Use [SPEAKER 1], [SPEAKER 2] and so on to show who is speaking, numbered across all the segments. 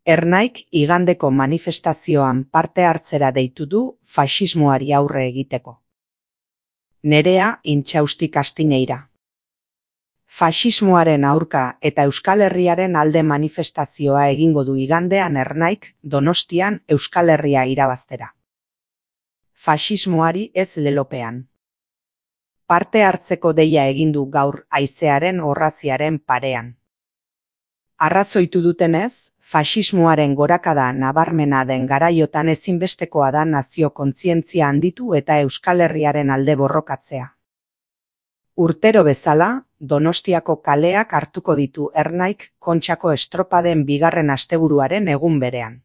[SPEAKER 1] Ernaik igandeko manifestazioan parte hartzera deitu du faxismoari aurre egiteko. Nerea Intxausti Kastineira. Faxismoaren aurka eta Euskal Herriaren alde manifestazioa egingo du igandean Ernaik Donostian Euskal Herria irabaztera. Faxismoari ez lelopean. Parte hartzeko deia egin du gaur haizearen orraziaren parean. Arrazoitu dutenez, faxismoaren gorakada nabarmena den garaiotan ezinbestekoa da nazio kontzientzia handitu eta Euskal Herriaren alde borrokatzea. Urtero bezala, Donostiako kaleak hartuko ditu Ernaik Kontxako estropaden bigarren asteburuaren egun berean.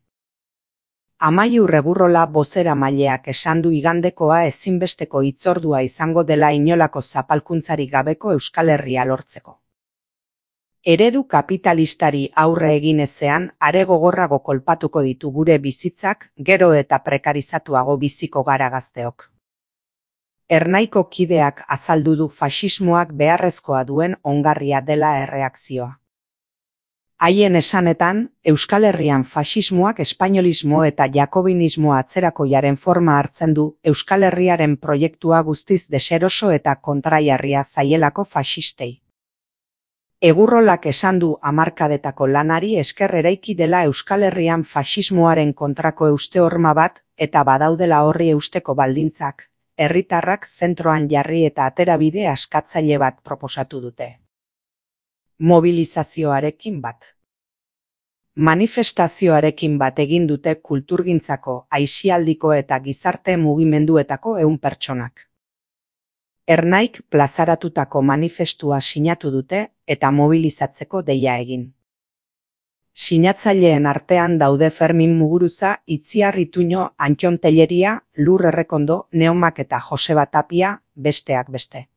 [SPEAKER 1] Amaiur Reburrola bozeramaileak esan du igandekoa ezinbesteko hitzordua izango dela inolako zapalkuntzarik gabeko Euskal Herria lortzeko. Eredu kapitalistari aurre egin ezean are gogorrago kolpatuko ditu gure bizitzak, gero eta prekarizatuago biziko gara gazteok. Ernaiko kideak azaldu du faxismoak beharrezkoa duen ongarria dela erreakzioa. Haien esanetan, Euskal Herrian faxismoak espainolismo eta jakobinismo atzerakoiaren forma hartzen du Euskal Herriaren proiektua guztiz deseroso eta kontraiarria zaielako faxistei. Egurrolak esan du hamarkadetako lanari esker eraiki dela Euskal Herrian faxismoaren kontrako euste horma bat eta badaudela horri eusteko baldintzak, herritarrak zentroan jarri eta aterabide askatzaile bat proposatu dute. Mobilizazioarekin bat. Manifestazioarekin bat egin dute kulturgintzako, aisialdiko eta gizarte mugimenduetako 100 pertsonak. Ernaik plazaratutako manifestua sinatu dute eta mobilizatzeko deia egin. Sinatzaileen artean daude Fermin Muguruza, Itziar Ituño, Antxon Telleria, Lur Errekondo, Neomak eta Joseba Tapia, besteak beste.